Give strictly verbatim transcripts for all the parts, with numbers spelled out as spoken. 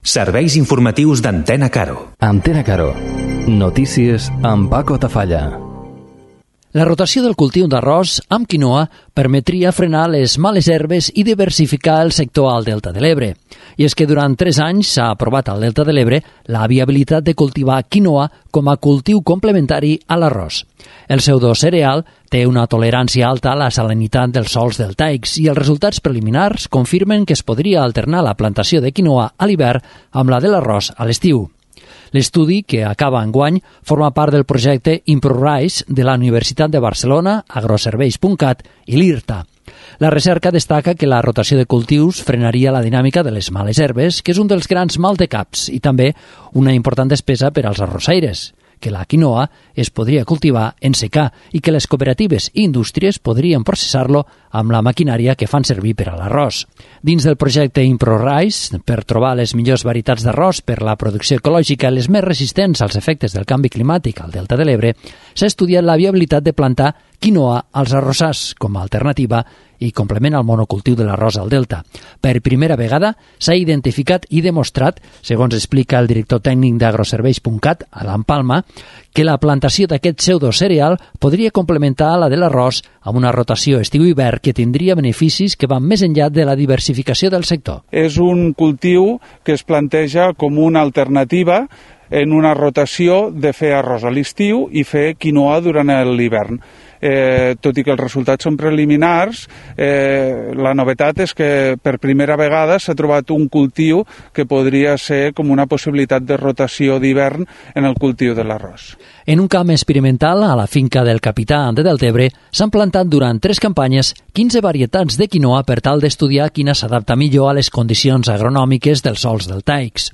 Serveis informatius d'Antena Caro. Antena Caro. Notícies amb Paco Tafalla. La rotació del cultiu d'arròs amb quinoa permetria frenar les males herbes i diversificar el sector al Delta de l'Ebre. I és que durant tres anys s'ha aprovat al Delta de l'Ebre la viabilitat de cultivar quinoa com a cultiu complementari a l'arròs. El pseudocereal té una tolerància alta a la salinitat dels sòls deltaics i els resultats preliminars confirmen que es podria alternar la plantació de quinoa a l'hivern amb la de l'arròs a l'estiu. L'estudi, que acaba enguany, forma part del projecte ImproRice de la Universitat de Barcelona, agroserveis punt cat i l'IRTA. La recerca destaca que la rotació de cultius frenaria la dinàmica de les males herbes, que és un dels grans maldecaps, i també una important despesa per als arrossaires, que la quinoa es podria cultivar en secà i que les cooperatives i indústries podrien processar-lo amb la maquinària que fan servir per a l'arròs. Dins del projecte ImproRice, per trobar les millors varietats d'arròs per la producció ecològica i les més resistents als efectes del canvi climàtic al Delta de l'Ebre, s'ha estudiat la viabilitat de plantar quinoa als arrossars com a alternativa i complement al monocultiu de l'arròs al Delta. Per primera vegada s'ha identificat i demostrat, segons explica el director tècnic d'agroserveis punt cat, Adam Palma, que la plantació d'aquest pseudocereal podria complementar la de l'arròs amb una rotació estiu-hivern que tindria beneficis que van més enllà de la diversificació del sector. És un cultiu que es planteja com una alternativa en una rotació de fer arròs a l'estiu i fer quinoa durant l'hivern. Eh, tot i que els resultats són preliminars, eh, la novetat és que per primera vegada s'ha trobat un cultiu que podria ser com una possibilitat de rotació d'hivern en el cultiu de l'arròs. En un camp experimental, a la finca del capità de Deltebre, s'han plantat durant tres campanyes quinze varietats de quinoa per tal d'estudiar quina s'adapta millor a les condicions agronòmiques dels sòls deltaics.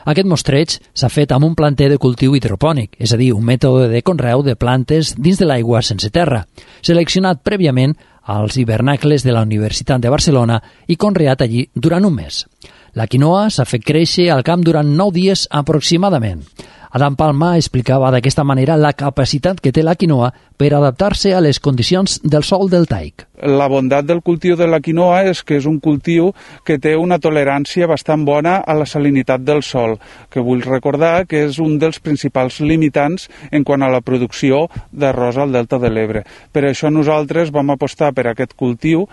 Aquest mostreig s'ha fet amb un planter de cultiu hidropònic, és a dir, un mètode de conreu de plantes dins de l'aigua sense terra, seleccionat prèviament als hivernacles de la Universitat de Barcelona i conreat allí durant un mes. La quinoa s'ha fet créixer al camp durant nou dies aproximadament. Adam Palma explicava d'aquesta manera la capacitat que té la quinoa per adaptar-se a les condicions del sòl deltaic. La bondat del cultiu de la quinoa és que és un cultiu que té una tolerància bastant bona a la salinitat del sòl, que vull recordar que és un dels principals limitants en quant a la producció d'arròs al Delta de l'Ebre. Per això nosaltres vam apostar per aquest cultiu,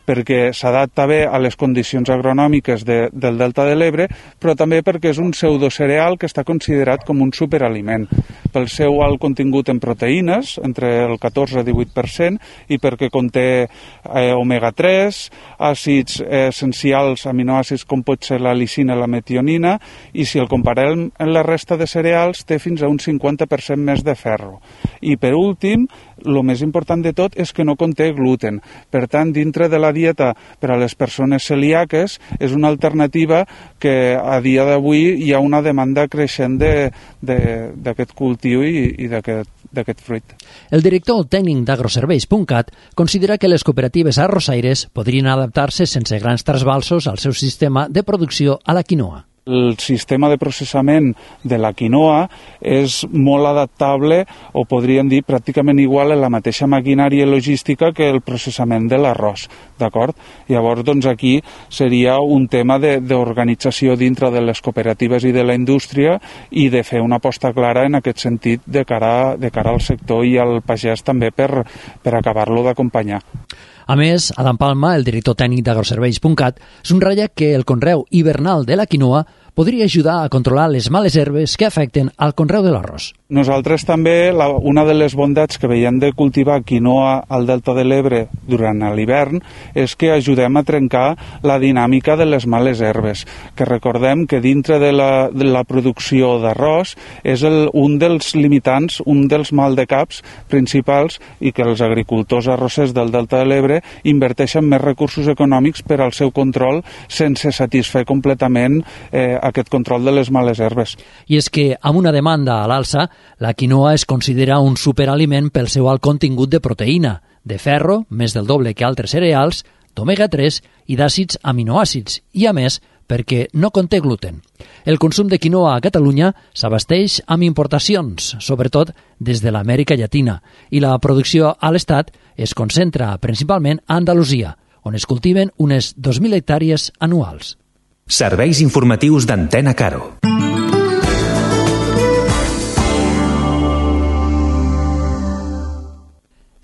perquè s'adapta bé a les condicions agronòmiques de, del Delta de l'Ebre, però també perquè és un pseudocereal que està considerat com un superaliment, pel seu alt contingut en proteïnes, entre el catorze i divuit per cent, i perquè conté eh, omega tres, àcids eh, essencials, aminoàcids com pot ser la lisina i la metionina, i si el comparem amb la resta de cereals, té fins a un cinquanta per cent més de ferro. I per últim, el més important de tot és que no conté gluten. Per tant, dintre de la dieta per a les persones celíaques és una alternativa que a dia d'avui hi ha una demanda creixent d'aquest cultiu i, i d'aquest fruit. El director tècnic d'agroserveis punt cat considera que les cooperatives arrossaires podrien adaptar-se sense grans trasbalsos al seu sistema de producció a la quinoa. El sistema de processament de la quinoa és molt adaptable, o podríem dir pràcticament igual a la mateixa maquinària logística que el processament de l'arròs, d'acord? Llavors, doncs aquí seria un tema d'organització dintre de les cooperatives i de la indústria i de fer una aposta clara en aquest sentit de cara, de cara al sector i al pagès també per, per acabar-lo d'acompanyar. A més, Adam Palma, el director tècnic d'agroserveis punt cat, subratlla que el conreu hivernal de la quinoa podria ajudar a controlar les males herbes que afecten al conreu de l'arròs. Nosaltres també, la, una de les bondats que veiem de cultivar quinoa al Delta de l'Ebre durant l'hivern és que ajudem a trencar la dinàmica de les males herbes, que recordem que dintre de la, de la producció d'arròs és el, un dels limitants, un dels maldecaps principals i que els agricultors arrossers del Delta de l'Ebre inverteixen més recursos econòmics per al seu control sense satisfer completament eh, aquest control de les males herbes. I és que, amb una demanda a l'alça, la quinoa es considera un superaliment pel seu alt contingut de proteïna, de ferro, més del doble que altres cereals, d'omega tres i d'àcids aminoàcids, i a més, perquè no conté gluten. El consum de quinoa a Catalunya s'abasteix amb importacions, sobretot des de l'Amèrica Llatina, i la producció a l'Estat es concentra principalment a Andalusia, on es cultiven unes dos mil hectàrees anuals. Serveis informatius d'Antena Caro.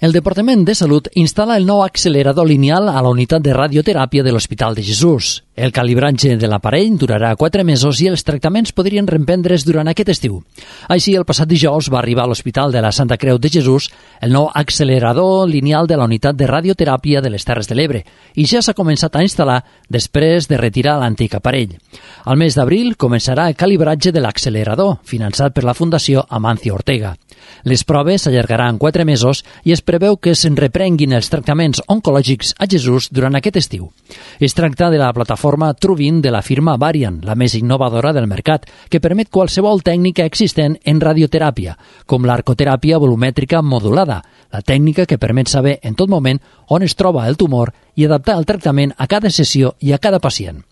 El Departament de Salut instal·la el nou accelerador lineal a la unitat de radioteràpia de l'Hospital de Jesús. El calibratge de l'aparell durarà quatre mesos i els tractaments podrien reemprendre's durant aquest estiu. Així, el passat dijous va arribar a l'Hospital de la Santa Creu de Jesús el nou accelerador lineal de la unitat de radioteràpia de les Terres de l'Ebre i ja s'ha començat a instal·lar després de retirar l'antic aparell. Al mes d'abril començarà el calibratge de l'accelerador, finançat per la Fundació Amancio Ortega. Les proves s'allargaran quatre mesos i es preveu que se'n reprenguin els tractaments oncològics a Jesús durant aquest estiu. Es tracta de la plataforma Truvin de la firma Varian, la més innovadora del mercat, que permet qualsevol tècnica existent en radioteràpia, com l'arcoteràpia volumètrica modulada, la tècnica que permet saber en tot moment on es troba el tumor i adaptar el tractament a cada sessió i a cada pacient.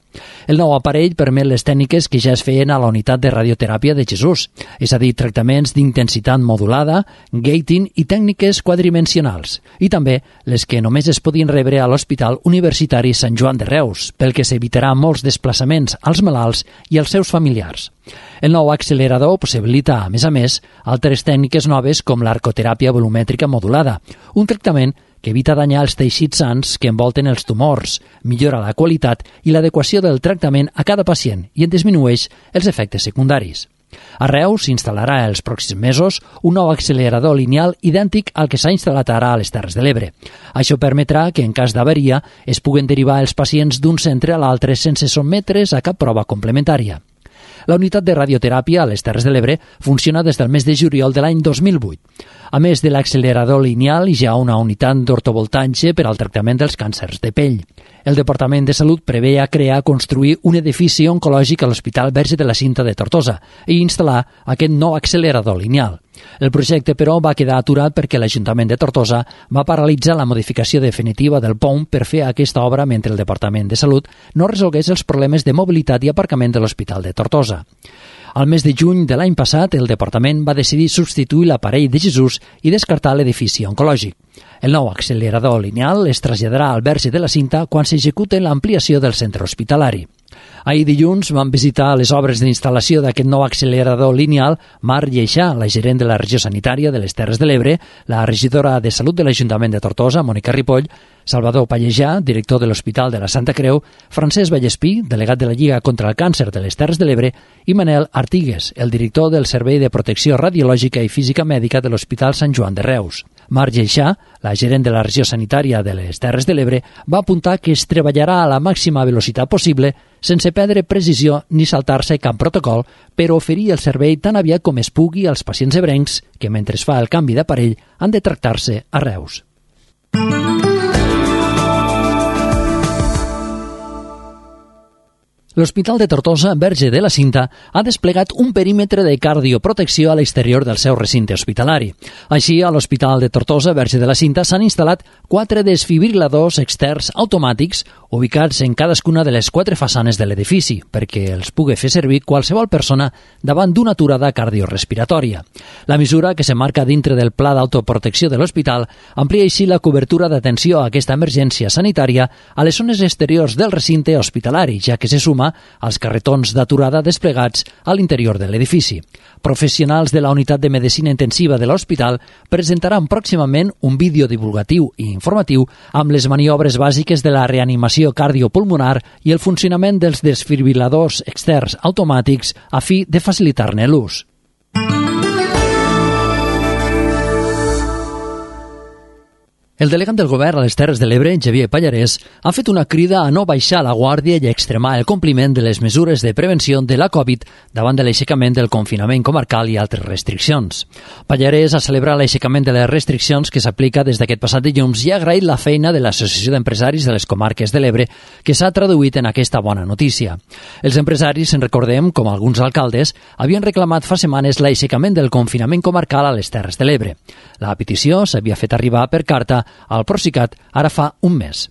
El nou aparell permet les tècniques que ja es feien a la unitat de radioteràpia de Jesús, és a dir, tractaments d'intensitat modulada, gating i tècniques quadridimensionals, i també les que només es podien rebre a l'Hospital Universitari Sant Joan de Reus, pel que s'evitarà molts desplaçaments als malalts i als seus familiars. El nou accelerador possibilita, a més a més, altres tècniques noves com l'arcoteràpia volumètrica modulada, un tractament que evita danyar els teixits sans que envolten els tumors, millora la qualitat i l'adequació del tractament a cada pacient i en disminueix els efectes secundaris. A Reus s'instal·larà els pròxims mesos un nou accelerador lineal idèntic al que s'ha instal·lat ara a les Terres de l'Ebre. Això permetrà que, en cas d'averia, es puguen derivar els pacients d'un centre a l'altre sense sotmetre's a cap prova complementària. La unitat de radioteràpia a les Terres de l'Ebre funciona des del mes de juliol de l'any dos mil vuit. A més de l'accelerador lineal, hi ha una unitat d'ortovoltatge per al tractament dels càncers de pell. El Departament de Salut preveia crear construir un edifici oncològic a l'Hospital Verge de la Cinta de Tortosa i instal·lar aquest nou accelerador lineal. El projecte, però, va quedar aturat perquè l'Ajuntament de Tortosa va paralitzar la modificació definitiva del P O M per fer aquesta obra mentre el Departament de Salut no resolgués els problemes de mobilitat i aparcament de l'Hospital de Tortosa. Al mes de juny de l'any passat, el departament va decidir substituir l'aparell de Jesús i descartar l'edifici oncològic. El nou accelerador lineal es traslladarà al Verge de la Cinta quan s'execute l'ampliació del centre hospitalari. Ahir dilluns van visitar les obres d'instal·lació d'aquest nou accelerador lineal Mar Lleixà, la gerent de la regió sanitària de les Terres de l'Ebre, la regidora de Salut de l'Ajuntament de Tortosa, Mònica Ripoll, Salvador Pallejà, director de l'Hospital de la Santa Creu, Francesc Vallespí, delegat de la Lliga contra el Càncer de les Terres de l'Ebre, i Manel Artigues, el director del Servei de Protecció Radiològica i Física Mèdica de l'Hospital Sant Joan de Reus. Mar Lleixà, la gerent de la regió sanitària de les Terres de l'Ebre, va apuntar que es treballarà a la màxima velocitat possible sense perdre precisió ni saltar-se cap protocol per oferir el servei tan aviat com es pugui als pacients ebrencs que, mentre es fa el canvi d'aparell, han de tractar-se a Reus. L'Hospital de Tortosa, Verge de la Cinta, ha desplegat un perímetre de cardioprotecció a l'exterior del seu recinte hospitalari. Així, a l'Hospital de Tortosa, Verge de la Cinta, s'han instal·lat quatre desfibriladors externs automàtics ubicats en cadascuna de les quatre façanes de l'edifici, perquè els pugui fer servir qualsevol persona davant d'una aturada cardiorespiratòria. La mesura, que s'emmarca dintre del pla d'autoprotecció de l'hospital, amplia així la cobertura d'atenció a aquesta emergència sanitària a les zones exteriors del recinte hospitalari, ja que se suma als carretons d'aturada desplegats a l'interior de l'edifici. Professionals de la unitat de medicina intensiva de l'hospital presentaran pròximament un vídeo divulgatiu i informatiu amb les maniobres bàsiques de la reanimació cardiopulmonar i el funcionament dels desfibriladors externs automàtics a fi de facilitar-ne l'ús. El delegat del govern a les Terres de l'Ebre, Xavier Pallarès, ha fet una crida a no baixar la guàrdia i a extremar el compliment de les mesures de prevenció de la Covid davant de l'aixecament del confinament comarcal i altres restriccions. Pallarès ha celebrat l'aixecament de les restriccions que s'aplica des d'aquest passat dilluns i ha agraït la feina de l'Associació d'Empresaris de les Comarques de l'Ebre, que s'ha traduït en aquesta bona notícia. Els empresaris, en recordem, com alguns alcaldes, havien reclamat fa setmanes l'aixecament del confinament comarcal a les Terres de l'Ebre. La petició s'havia fet arribar per carta al Procicat ara fa un mes.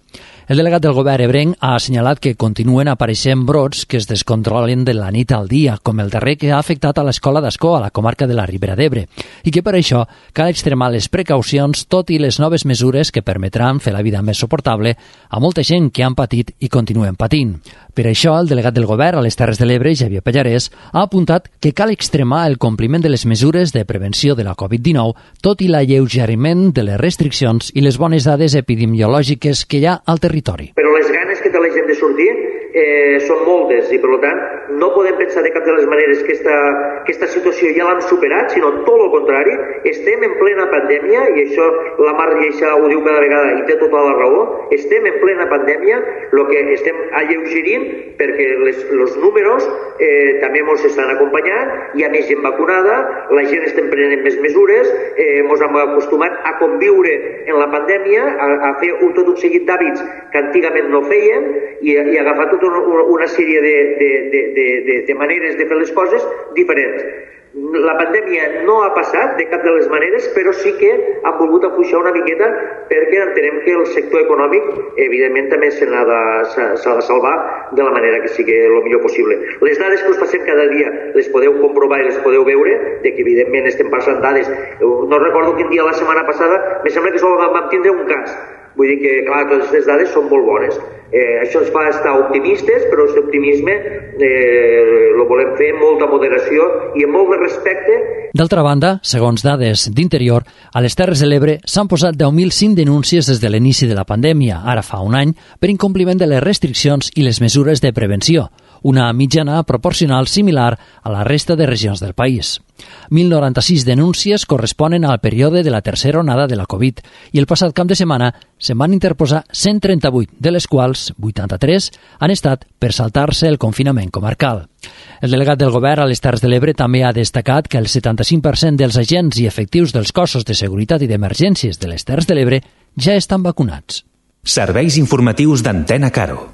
El delegat del govern ebrenc ha assenyalat que continuen apareixent brots que es descontrolen de la nit al dia, com el darrer que ha afectat a l'escola d'Ascó, a la comarca de la Ribera d'Ebre, i que per això cal extremar les precaucions, tot i les noves mesures que permetran fer la vida més suportable a molta gent que han patit i continuen patint. Per això, el delegat del govern a les Terres de l'Ebre, Xavier Pallarès, ha apuntat que cal extremar el compliment de les mesures de prevenció de la covid dinou, tot i l'alleugeriment de les restriccions i les bones dades epidemiològiques que hi ha al territori. Però les ganes que té la gent de sortir eh, són moltes i, per tant, no podem pensar de cap de les maneres que esta, que esta situació ja l'hem superat, sinó tot el contrari. Estem en plena pandèmia, i això la Mar Lleixa ho diu cada vegada i té tota la raó. Estem en plena pandèmia, el que estem alleugerint perquè les, els números eh, també ens estan acompanyant, hi ha més gent vacunada, la gent estem prenent més mesures, eh, ens hem acostumat a conviure en la pandèmia, a, a fer un, tot un seguit d'hàbits que antigament no fèiem i, i agafar tota una, una sèrie de, de, de, de, de, de maneres de fer les coses diferents. La pandèmia no ha passat de cap de les maneres, però sí que han volgut afluixar una miqueta perquè entenem que el sector econòmic, evidentment, també se n'ha de, s'ha de salvar de la manera que sigui el millor possible. Les dades que us passem cada dia les podeu comprovar i les podeu veure, de que evidentment estem passant dades. No recordo quin dia la setmana passada, me sembla que sol vam tindre un cas. Vull dir que, clar, totes les dades són molt bones. Eh, això ens fa estar optimistes, però aquest optimisme eh, lo volem fer amb molta moderació i amb molt de respecte. D'altra banda, segons dades d'Interior, a les Terres de l'Ebre s'han posat deu mil cinc denúncies des de l'inici de la pandèmia, ara fa un any, per incompliment de les restriccions i les mesures de prevenció, una mitjana proporcional similar a la resta de regions del país. mil noranta-sis denúncies corresponen al període de la tercera onada de la Covid i el passat cap de setmana se'n van interposar cent trenta-vuit, de les quals vuitanta-tres han estat per saltar-se el confinament comarcal. El delegat del govern a les Terres de l'Ebre també ha destacat que el setanta-cinc per cent dels agents i efectius dels cossos de seguretat i d'emergències de les Terres de l'Ebre ja estan vacunats. Serveis informatius d'Antena Caro.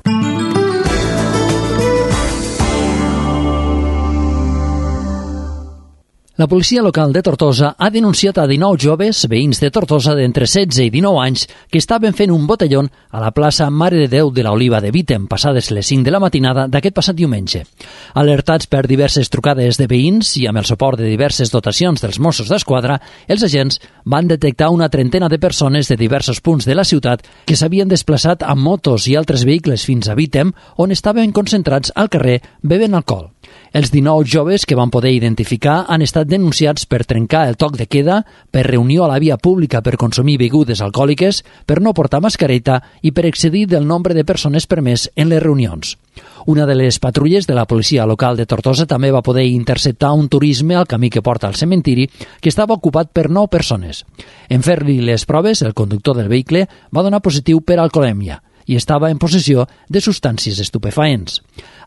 La policia local de Tortosa ha denunciat a dinou joves, veïns de Tortosa d'entre setze i dinou anys, que estaven fent un botellón a la plaça Mare de Déu de l'Oliva de Vítem, passades les cinc de la matinada d'aquest passat diumenge. Alertats per diverses trucades de veïns i amb el suport de diverses dotacions dels Mossos d'Esquadra, els agents van detectar una trentena de persones de diversos punts de la ciutat que s'havien desplaçat amb motos i altres vehicles fins a Vítem, on estaven concentrats al carrer bevent alcohol. Els dinou joves que van poder identificar han estat denunciats per trencar el toc de queda, per reunió a la via pública per consumir begudes alcohòliques, per no portar mascareta i per excedir del nombre de persones permès en les reunions. Una de les patrulles de la policia local de Tortosa també va poder interceptar un turisme al camí que porta al cementiri que estava ocupat per nou persones. En fer-li les proves, el conductor del vehicle va donar positiu per alcoholèmia i estava en possessió de substàncies estupefaents.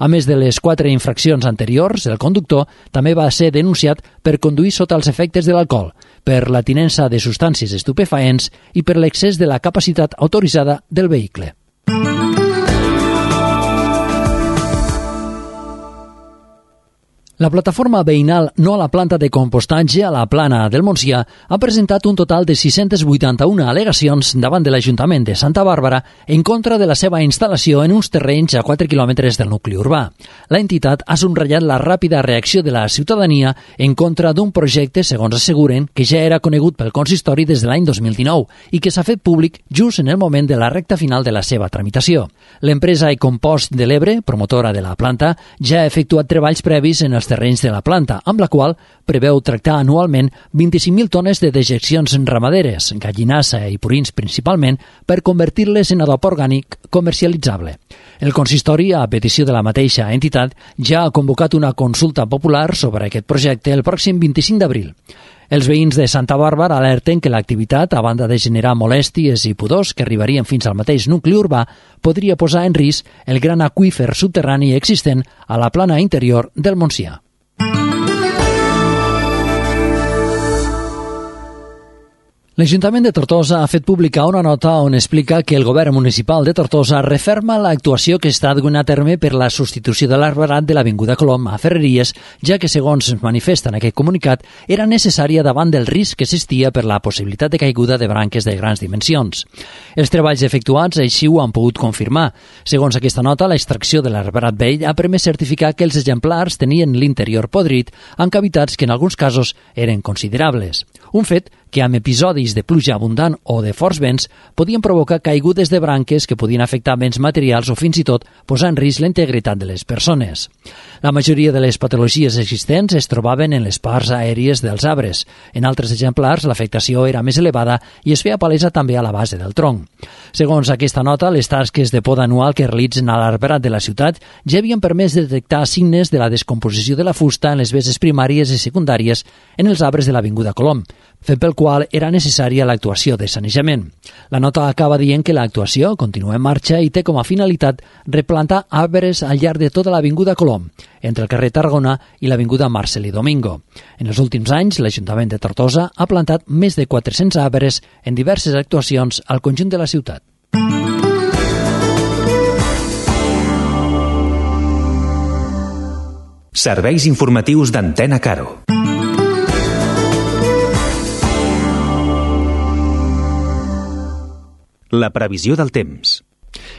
A més de les quatre infraccions anteriors, el conductor també va ser denunciat per conduir sota els efectes de l'alcohol, per la tinença de substàncies estupefaents i per l'excés de la capacitat autoritzada del vehicle. La plataforma veïnal No a la planta de compostatge a la Plana del Montsià ha presentat un total de sis-centes vuitanta-una al·legacions davant de l'Ajuntament de Santa Bàrbara en contra de la seva instal·lació en uns terrenys a quatre quilòmetres del nucli urbà. La entitat ha subratllat la ràpida reacció de la ciutadania en contra d'un projecte, segons asseguren, que ja era conegut pel consistori des de l'any dos mil dinou i que s'ha fet públic just en el moment de la recta final de la seva tramitació. L'empresa Ecompost de l'Ebre, promotora de la planta, ja ha efectuat treballs previs en els terrenys de la planta, amb la qual preveu tractar anualment vint-i-cinc mil tones de dejeccions ramaderes, gallinassa i purins principalment, per convertir-les en adob orgànic comercialitzable. El consistori, a petició de la mateixa entitat, ja ha convocat una consulta popular sobre aquest projecte el pròxim vint-i-cinc d'abril. Els veïns de Santa Bàrbara alerten que l'activitat, a banda de generar molèsties i pudors que arribarien fins al mateix nucli urbà, podria posar en risc el gran aqüífer subterrani existent a la plana interior del Montsià. L'Ajuntament de Tortosa ha fet publicar una nota on explica que el govern municipal de Tortosa referma l'actuació que està duent a terme per la substitució de l'arbrat de l'Avinguda Colom a Ferreries, ja que, segons es manifesta en aquest comunicat, era necessària davant del risc que existia per la possibilitat de caiguda de branques de grans dimensions. Els treballs efectuats així ho han pogut confirmar. Segons aquesta nota, l'extracció de l'arbrat vell ha permès certificar que els exemplars tenien l'interior podrit amb cavitats que en alguns casos eren considerables. Un fet que amb episodis de pluja abundant o de forts vents podien provocar caigudes de branques que podien afectar béns materials o fins i tot posar en risc la integritat de les persones. La majoria de les patologies existents es trobaven en les parts aèries dels arbres. En altres exemplars, l'afectació era més elevada i es feia palesa també a la base del tronc. Segons aquesta nota, les tasques de poda anual que realitzen a l'arbrat de la ciutat ja havien permès detectar signes de la descomposició de la fusta en les bases primàries i secundàries en els arbres de l'Avinguda Colom, fet pel qual era necessària l'actuació de sanejament. La nota acaba dient que l'actuació continua en marxa i té com a finalitat replantar arbres al llarg de tota l'Avinguda Colom, entre el carrer Tarragona i l'Avinguda Marcelí Domingo. En els últims anys, l'Ajuntament de Tortosa ha plantat més de quatre-cents arbres en diverses actuacions al conjunt de la ciutat. Serveis informatius d'Antena Caro. La previsió del temps.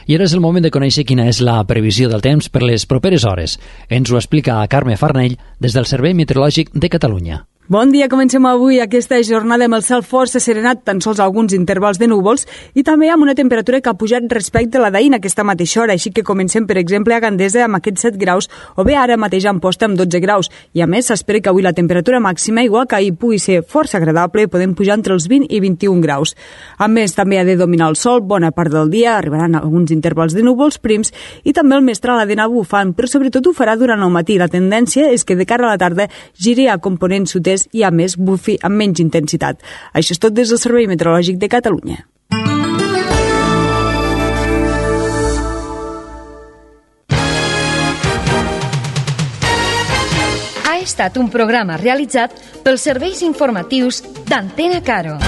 I ara és el moment de conèixer quina és la previsió del temps per les properes hores. Ens ho explica Carme Farnell des del Servei Meteorològic de Catalunya. Bon dia, comencem avui aquesta jornada amb el cel força serenat, tan sols alguns intervals de núvols i també amb una temperatura que ha pujat respecte a la d'ahir en aquesta mateixa hora, així que comencem, per exemple, a Gandesa amb aquests set graus o bé ara mateix a Amposta amb dotze graus. I a més, s'espera que avui la temperatura màxima, igual que ahir, pugui ser força agradable, podem pujar entre els vint i vint-i-un graus. A més, també ha de dominar el sol bona part del dia, arribaran alguns intervals de núvols prims i també el mestral ha d'anar bufant, però sobretot ho farà durant el matí. La tendència és que de cara a la tarda giri a component sud-est i a més bufi amb menys intensitat. Això és tot des del Servei Meteorològic de Catalunya. Ha estat un programa realitzat pels serveis informatius d'Antena Caro.